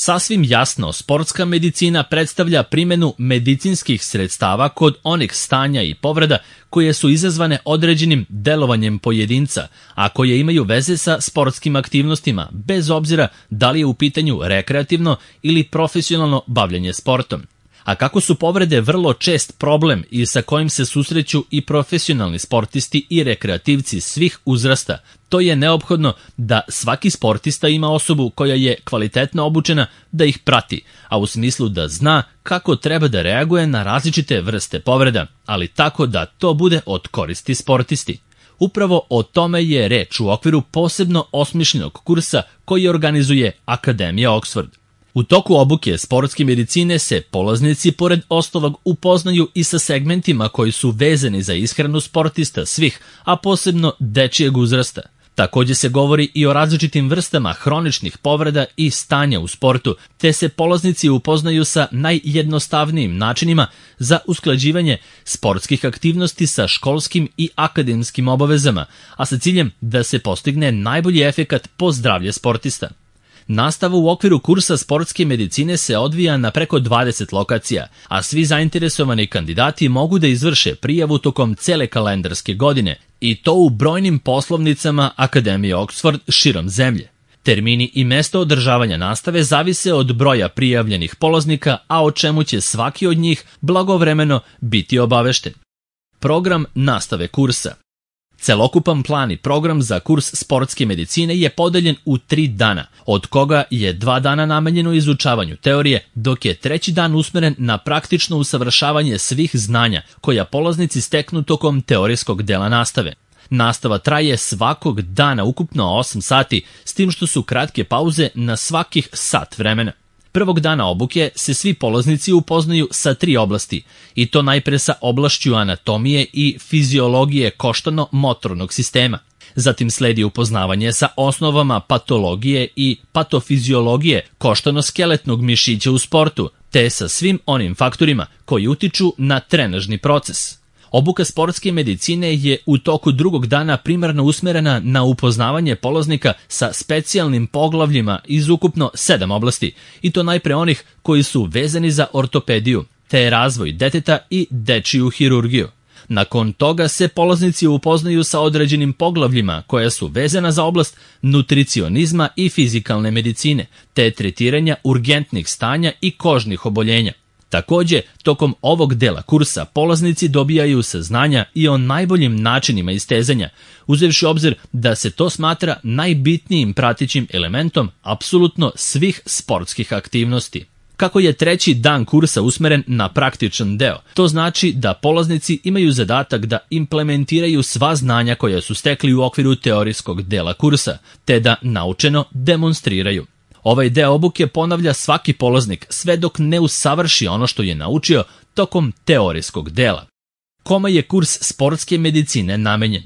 Sasvim jasno, sportska medicina predstavlja primjenu medicinskih sredstava kod onih stanja i povreda koje su izazvane određenim delovanjem pojedinca, a koje imaju veze sa sportskim aktivnostima, bez obzira da li je u pitanju rekreativno ili profesionalno bavljenje sportom. A kako su povrede vrlo čest problem i sa kojim se susreću i profesionalni sportisti i rekreativci svih uzrasta, to je neophodno da svaki sportista ima osobu koja je kvalitetno obučena da ih prati, a u smislu da zna kako treba da reaguje na različite vrste povreda, ali tako da to bude od koristi sportisti. Upravo o tome je reč u okviru posebno osmišljenog kursa koji organizuje Akademija Oxford. U toku obuke sportske medicine se polaznici pored ostalog upoznaju i sa segmentima koji su vezani za ishranu sportista svih, a posebno dečijeg uzrasta. Također se govori i o različitim vrstama hroničnih povreda i stanja u sportu, te se polaznici upoznaju sa najjednostavnijim načinima za usklađivanje sportskih aktivnosti sa školskim i akademskim obavezama, a sa ciljem da se postigne najbolji efekat po zdravlje sportista. Nastava u okviru kursa sportske medicine se odvija na preko 20 lokacija, a svi zainteresovani kandidati mogu da izvrše prijavu tokom cele kalendarske godine i to u brojnim poslovnicama Akademije Oxford širom zemlje. Termini i mesto održavanja nastave zavise od broja prijavljenih polaznika, a o čemu će svaki od njih blagovremeno biti obavešten. Program nastave kursa. Celokupan plan i program za kurs sportske medicine je podeljen u 3 dana, od koga je 2 dana namenjeno izučavanju teorije, dok je 3. dan usmeren na praktično usavršavanje svih znanja koja polaznici steknu tokom teorijskog dela nastave. Nastava traje svakog dana ukupno 8 sati, s tim što su kratke pauze na svakih sat vremena. Prvog dana obuke se svi polaznici upoznaju sa 3 oblasti, i to najpre sa oblašću anatomije i fiziologije koštano-motornog sistema. Zatim sledi upoznavanje sa osnovama patologije i patofiziologije koštano-skeletnog mišića u sportu, te sa svim onim faktorima koji utiču na trenažni proces. Obuka sportske medicine je u toku drugog dana primarno usmerena na upoznavanje polaznika sa specijalnim poglavljima iz ukupno 7 oblasti, i to najpre onih koji su vezani za ortopediju, te razvoj deteta i dečiju hirurgiju. Nakon toga se polaznici upoznaju sa određenim poglavljima koja su vezana za oblast nutricionizma i fizikalne medicine, te tretiranja urgentnih stanja i kožnih oboljenja. Također, tokom ovog dela kursa polaznici dobijaju saznanja i o najboljim načinima istezanja, uzevši obzir da se to smatra najbitnijim pratećim elementom apsolutno svih sportskih aktivnosti. Kako je 3. dan kursa usmeren na praktičan deo, to znači da polaznici imaju zadatak da implementiraju sva znanja koja su stekli u okviru teorijskog dela kursa, te da naučeno demonstriraju. Ovaj deo obuke ponavlja svaki polaznik sve dok ne usavrši ono što je naučio tokom teorijskog dela. Kome je kurs sportske medicine namenjen?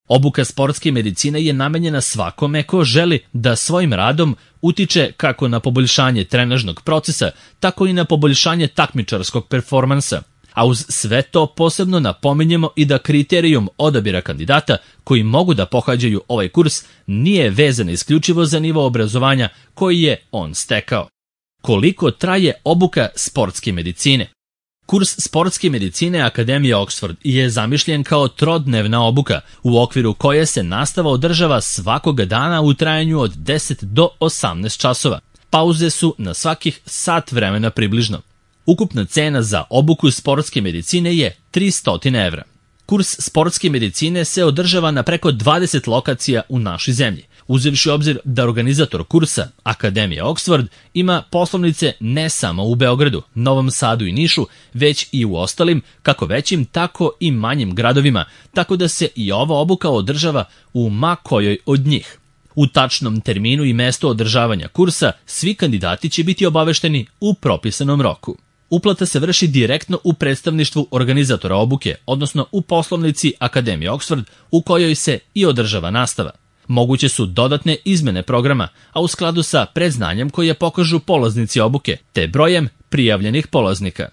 Obuka sportske medicine je namenjena svakome ko želi da svojim radom utiče kako na poboljšanje trenažnog procesa, tako i na poboljšanje takmičarskog performansa. A uz sve to posebno napominjemo i da kriterijum odabira kandidata koji mogu da pohađaju ovaj kurs nije vezan isključivo za nivo obrazovanja koji je on stekao. Koliko traje obuka sportske medicine? Kurs sportske medicine Akademije Oxford je zamišljen kao trodnevna obuka u okviru koje se nastava održava svakoga dana u trajanju od 10 do 18 časova. Pauze su na svakih sat vremena približno. Ukupna cena za obuku sportske medicine je 300 evra. Kurs sportske medicine se održava na preko 20 lokacija u našoj zemlji, uzevši obzir da organizator kursa, Akademija Oxford, ima poslovnice ne samo u Beogradu, Novom Sadu i Nišu, već i u ostalim, kako većim, tako i manjim gradovima, tako da se i ova obuka održava u ma kojoj od njih. U tačnom terminu i mestu održavanja kursa svi kandidati će biti obavešteni u propisanom roku. Uplata se vrši direktno u predstavništvu organizatora obuke, odnosno u poslovnici Akademije Oxford, u kojoj se i održava nastava. Moguće su dodatne izmene programa, a u skladu sa predznanjem koje pokažu polaznici obuke, te brojem prijavljenih polaznika.